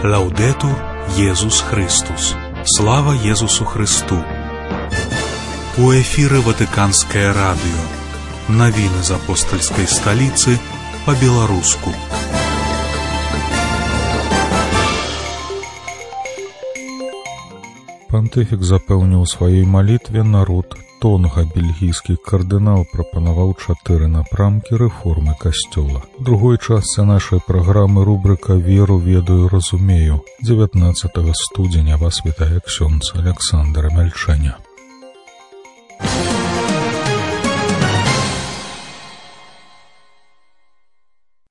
Лаудетур Єсус Христос. Слава Єсусу Христу. У эфиры Ватиканское радио. Новины из апостольской столицы по-белорусски. Пантыфік запэўніў у сваёй малітве народ Тонга, бельгійскі кардынал, прапанаваў 4 напрамкі рэформы касцёла. У другой частцы нашай праграмы рубрыка «Веру, ведаю, разумею». 19 студзеня вас вітае ксёндз Александр Мяльчэня.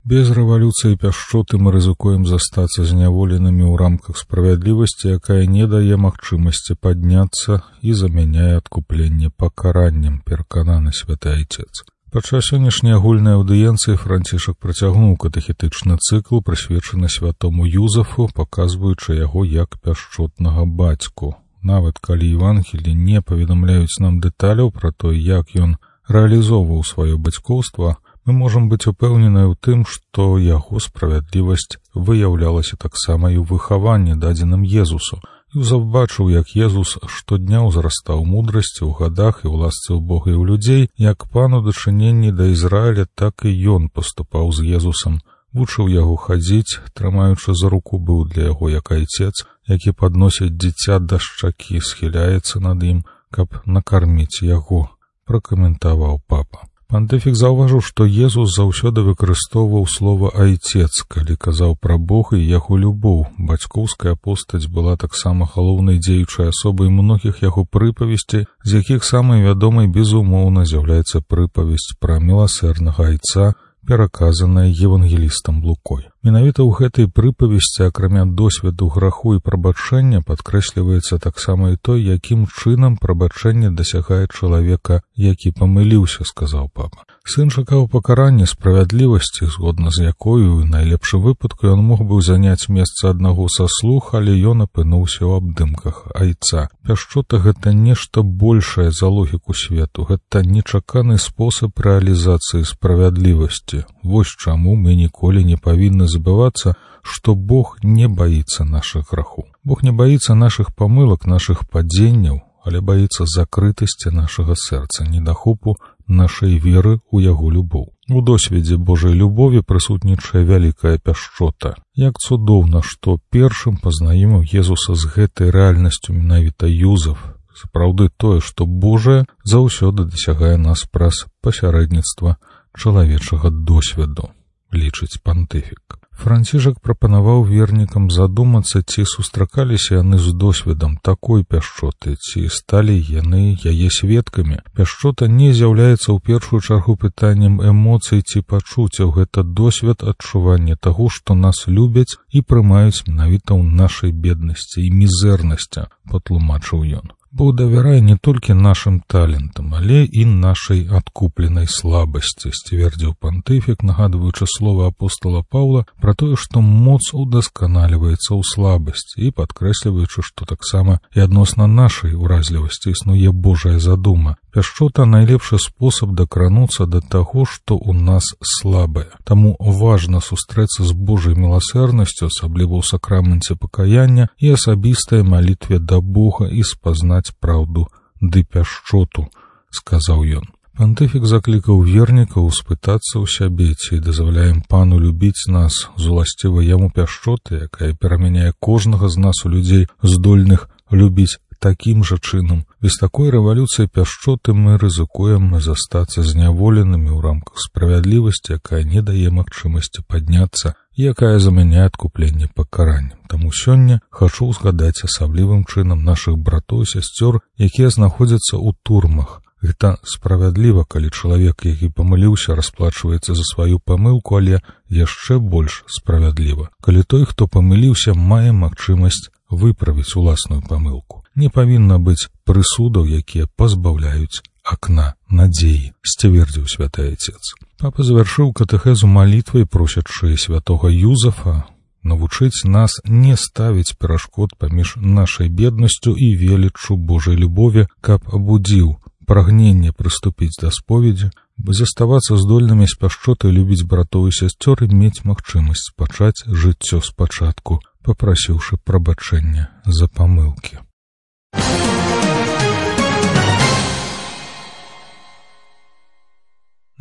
Без рэвалюцыі пяшчоты мы рызыкуем застацца зняволенымі ў рамках справядлівасці, якая не дае магчымасці падняцца і замяняе адкупленне пакараннем, перакананы святы айцец. Падчас сённяшняй агульнай аўдыенцыі Францішак працягнуў катэхетычны цыкл, прысвечаны святому Юзафу, паказваючы яго як пяшчотнага бацьку. Нават калі Евангелі не паведамляюць нам дэталяў пра тое, як ён рэалізоўваў сваё бацькоўства, мы можам быць упэўненыя ў тым, што яго справядлівасць выяўлялася таксама і ў выхаванні, дадзеным Езусу. Юзаф бачыў, як Езус штодня ўзрастаў мудрасці ў гадах і ў ласцы ў Бога і ў людзей, як пан у дачыненні да Ізраіля, так і ён паступаў з Езусам, вучыў яго хадзіць, трымаючы за руку, быў для яго як айцец, які падносіць дзіця да шчакі, схіляецца над ім, каб накарміць яго, пракаментаваў папа. Пантыфік заўважыў, што Езус заўсёды выкарыстоўваў слова «айцец», калі казаў пра Бога і яго любоў. Бацькоўская постаць была таксама галоўнай дзеючай асобай многіх яго прыпавесцей, з якіх самай вядомай, безумоўна, з'яўляецца прыпавесць пра міласэрнага айца, пераказаная евангелістам Лукой. Менавіта ў гэтай прыпавесці, акрамя досведу граху і прабачэння, падкрэсліваецца таксама і той, якім чынам прабачэнне дасягае чалавека, які памыліўся, сказаў папа. Сын чакаў пакарання, справядлівасці, згодна з якою, у найлепшым выпадку, ён мог бы заняць месца аднаго са слуг, але ён апынуўся ў абдымках айца. Пяшчота — гэта нешта большае за логіку свету, гэта нечаканы спосаб рэалізацыі справядлівасці. Вось чаму мы ніколі не павінны забывацца, што Бог не баіцца нашых грахоў. Бог не баіцца нашых памылак, нашых падзенняў, але баіцца закрытасці нашага сэрца, недахопу нашай веры ў яго любоў. У досведзе Божай любові прысутнічае вялікая пяшчота. Як цудоўна, што першым пазнаёміў Езуса з гэтай рэальнасцю менавіта Юзаф. Сапраўды тое, што Божае заўсёды дасягае нас праз пасярэдніцтва чалавечага досведу, лічыць пантыфік. Францішак прапанаваў вернікам задумацца, ці сустракаліся яны з досведам такой пяшчоты, ці сталі яны яе сведкамі. Пяшчота не з'яўляецца ў першую чаргу пытаннем эмоцый ці пачуццяў, гэта досвед адчування таго, што нас любяць і прымаюць менавіта ў нашай беднасці і мізэрнасці, патлумачыў ён. Бог давярае не толькі нашым талентам, але і нашай адкупленай слабасці, сцвердзіў пантыфік, нагадваючы слова апостола Паўла пра тое, што моц удасканаліваецца ў слабасці, і падкрэсліваючы, што таксама і адносна нашай уразлівасці існуе Божая задума. Пяшчота — найлепшы спосаб дакрануцца да таго, што ў нас слабае. Таму важна сустрэцца з Божай міласэрнасцю, асабліва ў сакраменце пакаяння і асабістай малітве да Бога, і спазнаць праўду ды пяшчоту, сказаў ён. Пантыфік заклікаў вернікаў спытацца ў сябе, ці дазваляем пану любіць нас з уласцівай яму пяшчоты, якая перамяняе кожнага з нас у людзей, здольных любіць такім жа чынам. Без такой рэвалюцыі пяшчоты мы рызыкуем застацца зняволенымі ў рамках справядлівасці, якая не дае магчымасці падняцца, якая замяняе адкупленне пакараннем. Таму сёння хачу згадаць асаблівым чынам нашых братоў і сясцёр, якія знаходзяцца ў турмах. Гэта справядліва, калі чалавек, які памыліўся, расплачваецца за сваю памылку, але яшчэ больш справядліва, калі той, хто памыліўся, мае магчымасць выправіць уласную памылку. Не павінна быць прысудаў, якія пазбаўляюць акна надзеі, сцвердзіў святы айцец. Папа завяршыў катэхезу малітвай, просячы святога Юзафа навучыць нас не ставіць перашкод паміж нашай беднасцю і веліччу Божай любові, каб абудзіў прагненне прыступіць да споведзі, заставацца здольнымі з пяшчотай любіць братоў і сясцёр і мець магчымасць пачаць жыццё спачатку, папрасіўшы прабачэння за памылкі.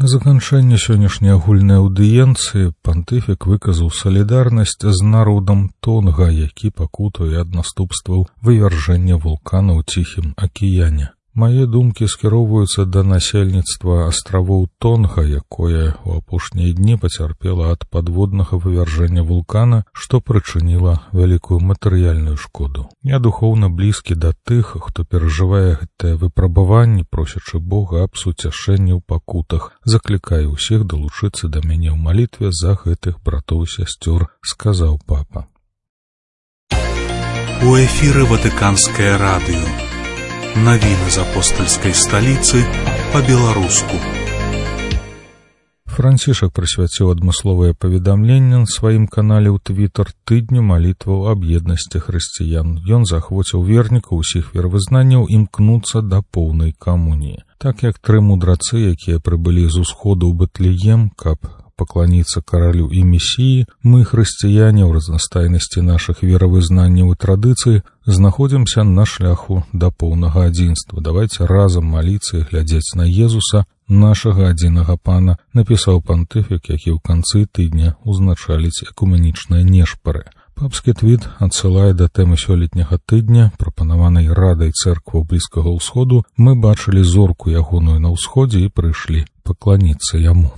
На заканчэнне сённяшняй агульнай аўдыенцыі пантыфік выказаў салідарнасць з народам Тонга, які пакутуе ад наступстваў вывяржэння вулкана ў Ціхім акіяне. Мае думкі скіроўваюцца да насельніцтва астравоў Тонга, якое ў апошнія дні пацярпела ад падводнага вывяржэння вулкана, што прычыніла вялікую матэрыяльную шкоду. Я духоўна блізкі да тых, хто перажывае гэтае выпрабаванне, просячы Бога аб суцяшэнні ў пакутах. Заклікаю ўсіх далучыцца да мяне ў малітве за гэтых братоў і сясцёр, сказаў папа. У эфіры Ватыканскае радыё. Навіны з апостальскай сталіцы па-беларуску. Францішак прысвяціў адмысловае паведамленне на сваім канале ў Твітар тыдню малітваў аб еднасці хрысціян. Ён захвоціў вернікаў усіх веравызнанняў імкнуцца да поўнай камуніі. Так як тры мудрацы, якія прыбылі з усходу ў Бэтлеем, каб пакланіцца каралю і месіі, мы, хрысціяне, ў разнастайнасці нашых веравызнанняў і традыцый, знаходзімся на шляху да поўнага адзінства. Давайце разам маліцца і глядзець на Езуса, нашага адзінага пана, напісаў пантыфік, які ў канцы тыдня узначаліць экуменічныя нешпары. Папскі твіт адсылае да тэмы сёлетняга тыдня, прапанаванай Радай цэркваў Блізкага ўсходу. Мы бачылі зорку ягоную на ўсходзе і прыйшлі пакланіцца яму.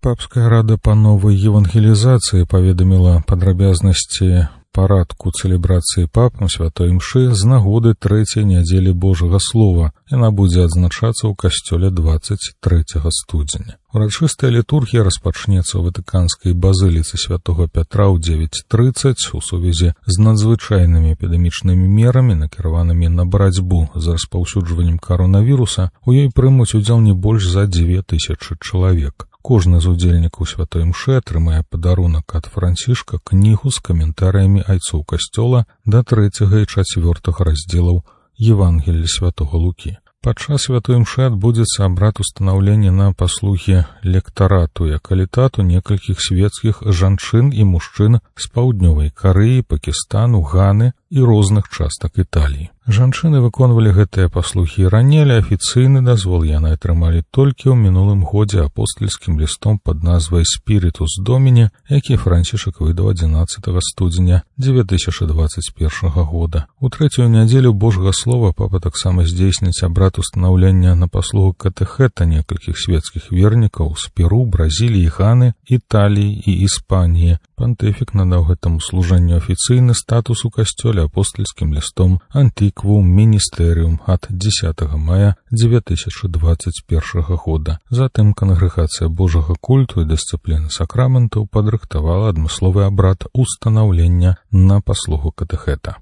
Папская рада па новай евангелізацыі паведаміла падрабязнасці парадку цэлебрацыі папам святой імшы з нагоды трэцяй нядзелі Божага Слова. Яна будзе адзначацца ў касцёле 23 студзеня. Урачыстая літургія распачнецца ў Ватыканскай базыліцы святого Пятра ў 9:30 у сувязі з надзвычайнымі эпідэмічнымі мерамі, накіраванымі на барацьбу з распаўсюджваннем каронавіруса. У ёй прымуць удзел не больш за 2000 чалавек. Кожны з удзельнікаў святой імшы атрымае падарунак ад Францішка, кнігу з каментарыямі айцоў касцёла да 3 і 4 раздзелаў Евангелія святого Лукі. Падчас святой імшы адбудзецца абрад устанаўлення на паслугі лектарату і акалітату некалькіх свецкіх жанчын і мужчын з паўднёвай Карэі, Пакістану, Ганы і розных частак Італіі. Жанчыны выконвалі гэтыя паслугі раней, але афіцыйны дазвол яны атрымалі толькі ў мінулым годзе апостальскім лістом пад назвай «Спірітус Доміні», які Францішак выдаў 11 студзеня 2021 года. У трэцюю нядзелю Божага Слова папа таксама здзейсніць абрад устанаўлення на паслугу катэхэта некалькіх свецкіх вернікаў з Перу, Бразіліі, Ганы, Італіі і Іспаніі. Пантыфік надаў гэтаму служэнню афіцыйны статус у касцёле апостальскім лістом «Антиквум Міністэріум» ад 10 мая 2021 года. Затым кангрэгацыя Божага культу і дысцыпліны сакраментаў падрыхтавала адмысловы абрад устанаўлення на паслугу катэхэта.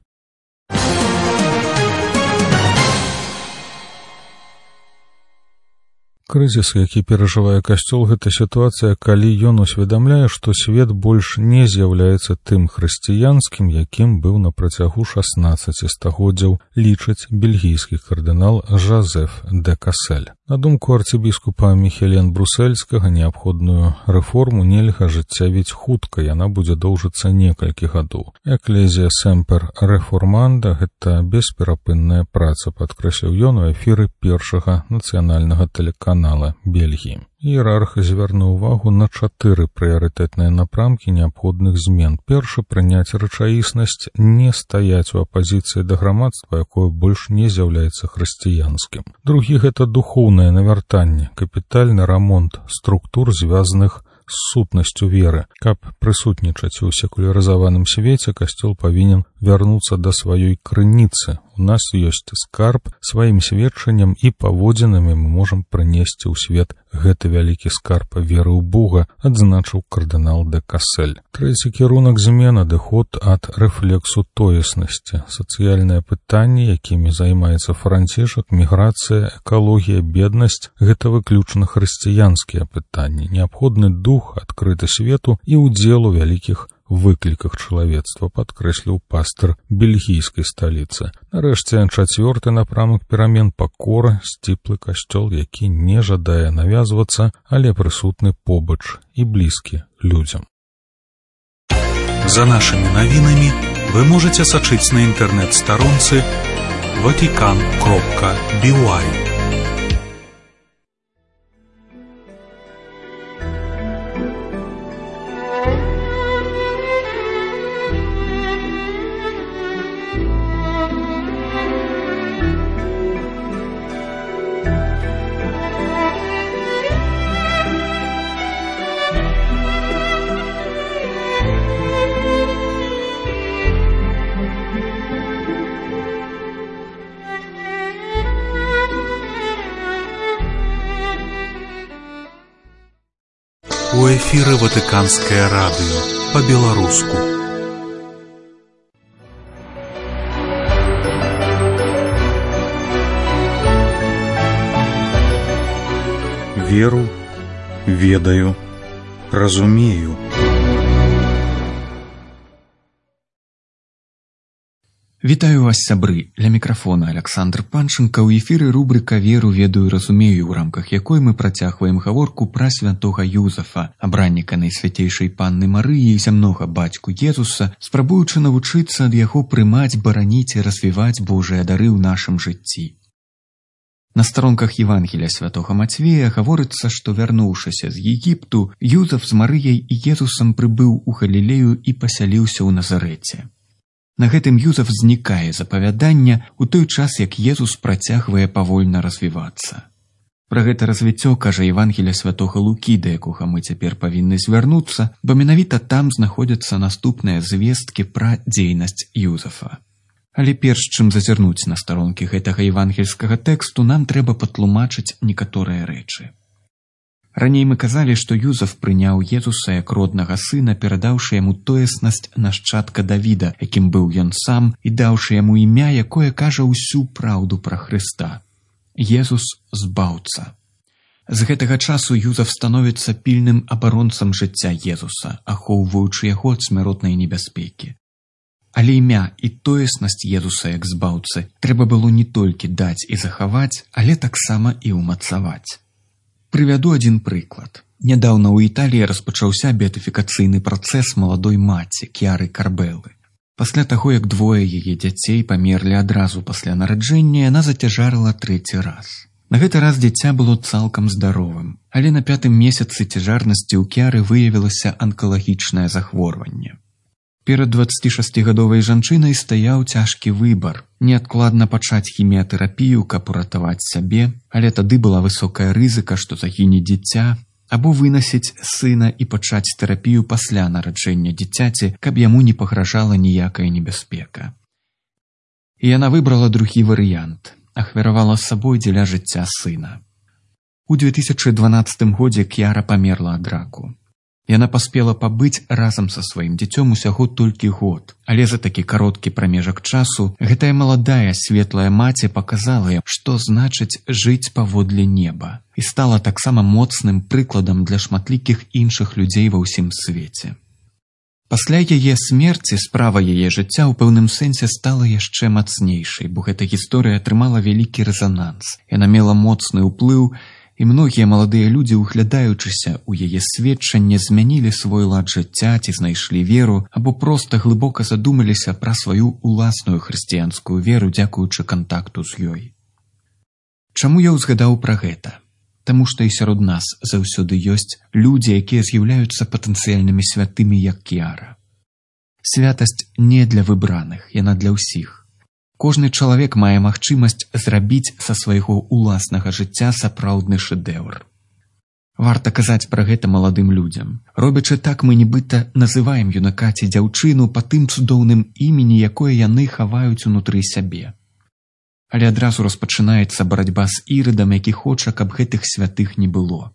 Крызіс, які перажывае касцёл, гэта сітуацыя, калі ён усведамляе, што свет больш не з'яўляецца тым хрысціянскім, якім быў на працягу 16 стагоддзяў, лічыць бельгійскі кардынал Жозеф де Кассель. На думку арцыбіскупа Міхелен Брусельскага, неабходную рэформу нельга ажыццявіць хутка, яна будзе доўжыцца некалькі гадоў. Эклезія Семпер Реформанда — гэта бесперапынная праца, падкрэсліў ён у эфіры першага нацыянальнага тэлеканала Бельгіі. Іерарх звярнуў увагу на 4 прыярытэтныя напрамкі неабходных змен. Першы — прыняць рэчаіснасць, не стаяць у апазіцыі да грамадства, якое больш не з'яўляецца хрысціянскім. Другі — гэта духоўнае навяртанне, капітальны рамонт структур, звязаных з сутнасцю веры. Каб прысутнічаць у секулярызаваным свеце, касцёл павінен вярнуцца да сваёй крыніцы. У нас ёсць скарб, сваім сведчаннем і паводзінамі мы можам прынесці ў свет гэты вялікі скарб веры ў Бога, адзначыў кардынал де Кассель. Трэці кірунак змен — адыход ад рэфлексу тоеснасці. Сацыяльныя пытанні, якімі займаецца Францішак, міграцыя, экалогія, беднасць — гэта выключна хрысціянскія пытанні. Неабходны дух, адкрыты свету і ўдзел у вялікіх выкліках чалавецтва, падкрэсліў пастар бельгійскай сталіцы. Нарэшце, 4-ты напрамак перамен пакора, сціплы касцёл, які не жадае навязвацца, але прысутны побач і блізкі людзям. За нашими навінамі вы можете сачыць на інтэрнэт-старонцы vatican.by. У эфіры Ватыканскае радыё па-беларуску. Веру, ведаю, разумею. Вітаю вас, сябры. Ля мікрафона Александр Панченко. У эфіры рубрыка «Веру, ведаю, разумею», у рамках якой мы працягваем гаворку пра святога Юзафа, абранніка Найсвяцейшай Панны Марыі і зямнога бацьку Езуса, спрабуючы навучыцца ад яго прымаць, бараніць і развіваць Божыя дары ў нашым жыцці. На старонках Евангелія святога Мацвея гаворыцца, што, вярнуўшыся з Егіпту, Юзаф з Марыяй і Езусам прыбыў у Галілею і пасяліўся ў Назарэце. На гэтым Юзаф знікае з апавядання у той час, як Езус працягвае павольна развівацца. Пра гэта развіццё кажа Евангелие святога Лукі, да якога мы цяпер павінны звярнуцца, бо менавіта там знаходзяцца наступныя звесткі пра дзейнасць Юзафа. Але перш чым зазірнуць на старонкі гэтага евангельскага тэксту, нам трэба патлумачыць некаторыя рэчы. Раней мы казалі, што Юзаф прыняў Езуса як роднага сына, перадаўшы яму тоеснасць нашчадка Давіда, якім быў ён сам, і даўшы яму імя, якое кажа ўсю праўду пра Хрыста. Езус – збаўца. З гэтага часу Юзаф становіцца пільным абаронцам жыцця Езуса, ахоўваючы яго ад смяротнай небяспекі. Але імя і тоеснасць Езуса як збаўцы трэба было не толькі даць і захаваць, але таксама і ўмацаваць. Прывяду адзін прыклад. Нядаўна ў Італіі распачаўся беатыфікацыйны працэс маладой маці К'яры Карбелы. Пасля таго, як двое яе дзяцей памерлі адразу пасля нараджэння, яна зацяжарыла 3-й раз. На гэты раз дзіця было цалкам здаровым, але на 5-м месяцы цяжарнасці ў К'яры выявілася анкалагічнае захворванне. Перад 26-гадовай жанчынай стаяў цяжкі выбар – неадкладна пачаць хіміятэрапію, каб уратаваць сябе, але тады была высокая рызыка, што загіне дзіця, або вынасіць сына і пачаць тэрапію пасля нараджэння дзіцяці, каб яму не пагражала ніякая небяспека. І яна выбрала другі варыянт – ахвяравала сабой дзеля жыцця сына. У 2012 годзе К'яра памерла ад раку. Яна паспела пабыць разам са сваім дзіцём усяго толькі год, але за такі кароткі прамежак часу гэтая маладая светлая маці паказала ім, што значыць жыць паводле неба, і стала таксама моцным прыкладам для шматлікіх іншых людзей ва ўсім свеце. Пасля яе смерці справа яе жыцця ў пэўным сэнсе стала яшчэ мацнейшай, бо гэта гісторыя атрымала вялікі рэзананс. Яна мела моцны ўплыў, і многія маладыя людзі, углядаючыся ў яе сведчанне, змянілі свой лад жыцця ці знайшлі веру, або проста глыбока задумаліся пра сваю уласную хрысціянскую веру, дзякуючы кантакту з ёй. Чаму я ўзгадаў пра гэта? Таму што і сярод нас заўсёды ёсць людзі, якія з'яўляюцца патэнцыяльнымі святымі, як К'яра. Святасць не для выбраных, яна для ўсіх. Кожны чалавек мае магчымасць зрабіць са свайго уласнага жыцця сапраўдны шэдэўр. Варта казаць пра гэта маладым людзям. Робячы так, мы нібыта называем юнака ці дзяўчыну па тым цудоўным імені, якое яны хаваюць унутры сябе. Але адразу распачынаецца барацьба з Ірадам, які хоча, каб гэтых святых не было.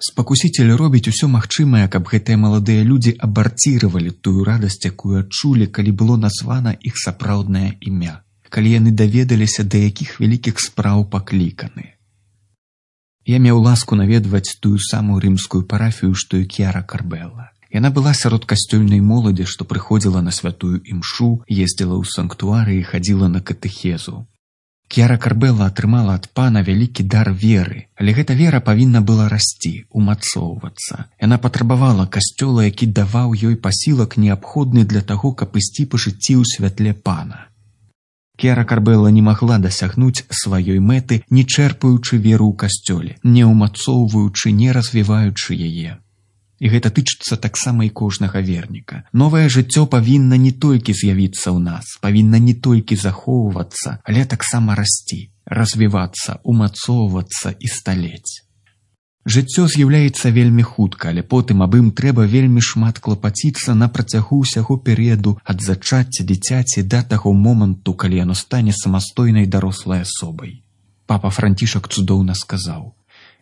Спакусіцель робіць усё магчымае, каб гэтыя маладыя людзі абарціравалі тую радасць, якую адчулі, калі было названа іх сапраўднае імя, калі яны даведаліся, да якіх вялікіх спраў пакліканы. Я меў ласку наведваць тую самую рымскую парафію, што і К'яра Карбела. Яна была сярод касцёльнай моладзі, што прыходзіла на святую імшу, ездзіла ў санктуары і хадзіла на катэхезу. К'яра Карбелла атрымала ад пана вялікі дар веры, але гэта вера павінна была расці, умацоўвацца. Яна патрабавала касцёла, які даваў ёй пасілак неабходны для таго, каб ісці па жыцці ў святле пана. К'яра Карбелла не магла дасягнуць сваёй мэты, не чэрпаючы веру ў касцёле, не ўмацоўваючы, не развіваючы яе. І гэта тычыцца таксама і кожнага верніка. Новае жыццё павінна не толькі з'явіцца ў нас, павінна не толькі захоўвацца, але таксама расці, развівацца, умацоўвацца і сталець. Жыццё з'яўляецца вельмі хутка, але потым аб ім трэба вельмі шмат клапаціцца на працягу ўсяго перыяду ад зачацця дзіцяці да таго моманту, калі яно стане самастойнай дарослай асобай. Папа Францішак цудоўна сказаў: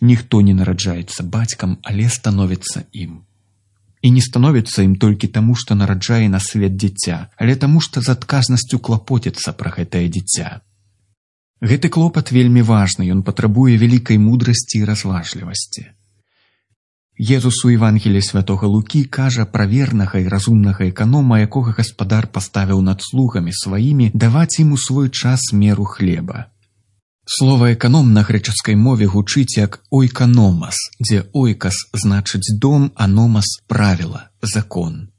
«Ніхто не нараджаецца бацькам, але становіцца ім». І не становіцца ім толькі таму, што нараджае на свет дзіця, але таму, што з адказнасцю клапоціцца пра гэтае дзіця. Гэты клопат вельмі важны, ён патрабуе вялікай мудрасці і разважлівасці. Езус у Евангеліі святога Лукі кажа пра вернага і разумнага эканома, якога гаспадар паставіў над слугамі сваімі даваць ім у свой час меру хлеба. Слова «эканом» на грэчаскай мове гучыць як «ойканомас», дзе «ойкас» значыць дом, а «номас» – правіла, закон.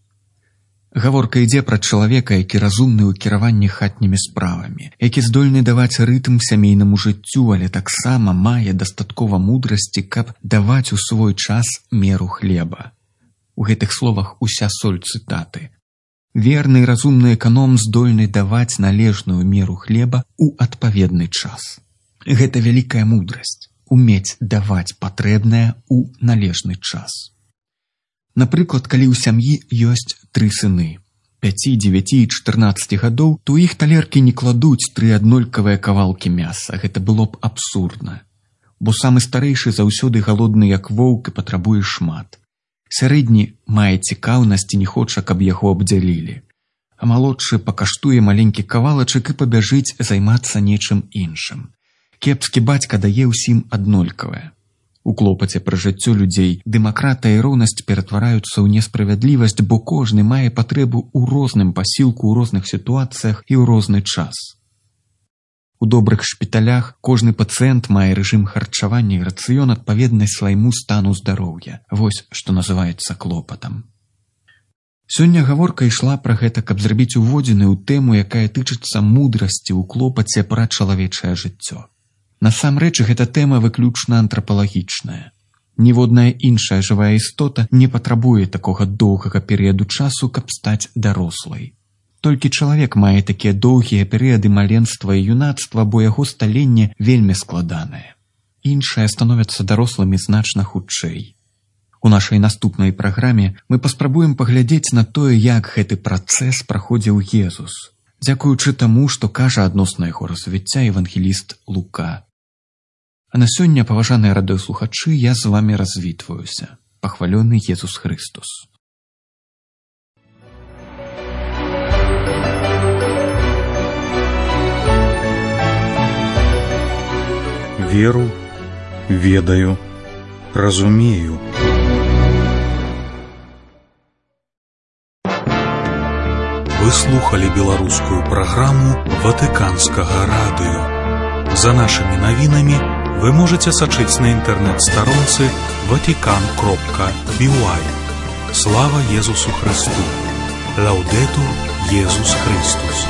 Гаворка ідзе пра чалавека, які разумны ў кіраванні хатнімі справамі, які здольны даваць рытм сямейнаму жыццю, але таксама мае дастаткова мудрасці, каб даваць у свой час меру хлеба. У гэтых словах уся соль цытаты. Верны і разумны эканом здольны даваць належную меру хлеба ў адпаведны час. Гэта вялікая мудрасць – умець даваць патрэбнае ў належны час. Напрыклад, калі ў сям'і ёсць 3 сыны – 5, 9 і 14 гадоў, то іх талеркі не кладуць 3 аднолькавыя кавалкі мяса. Гэта было б абсурдна. Бо самы старэйшы заўсёды галодны як воўк і патрабуе шмат. Сярэдні мае цікаўнасць і не хоча, каб яго абдзялілі. А малодшы пакаштуе маленькі кавалачак і пабяжыць займацца нечым іншым. Кепскі бацька дае ўсім аднолькавае. У клопаце пра жыццё людзей дэмакратыя і роўнасць ператвараюцца ў несправядлівасць, бо кожны мае патрэбу ў розным пасілку, ў розных сітуацыях і ў розны час. У добрых шпіталях кожны пацыент мае рэжым харчавання і рацыён адпаведны свайму стану здароўя. Вось што называецца клопатам. Сёння гаворка ішла пра гэта, каб зрабіць уводзіны ў тэму, якая тычыцца мудрасці ў клопаце пра чалавечае жыццё. Насамрэч, гэта тэма выключна антрапалагічная. Ніводная іншая жывая істота не патрабуе такога доўгага перыяду часу, каб стаць дарослай. Толькі чалавек мае такія доўгія перыяды маленства і юнацтва, бо яго сталенне вельмі складанае. Іншыя становяцца дарослымі значна хутчэй. У нашай наступнай праграме мы паспрабуем паглядзець на тое, як гэты працэс праходзіў Езус, дзякуючы таму, што кажа адносна яго развіцця евангеліст Лука. А на сёння, паважаныя радыёслухачы, я з вамі развітваюся. Пахвалёны Езус Христос. Веру, ведаю, разумею. Вы слухали беларускую праграму Ватыканскага радыё. За нашымі навінамі вы можете сачыць на інтэрнэт-старонцы vatican.by. Слава Езусу Христу! Лаўдэтур Езус Христос!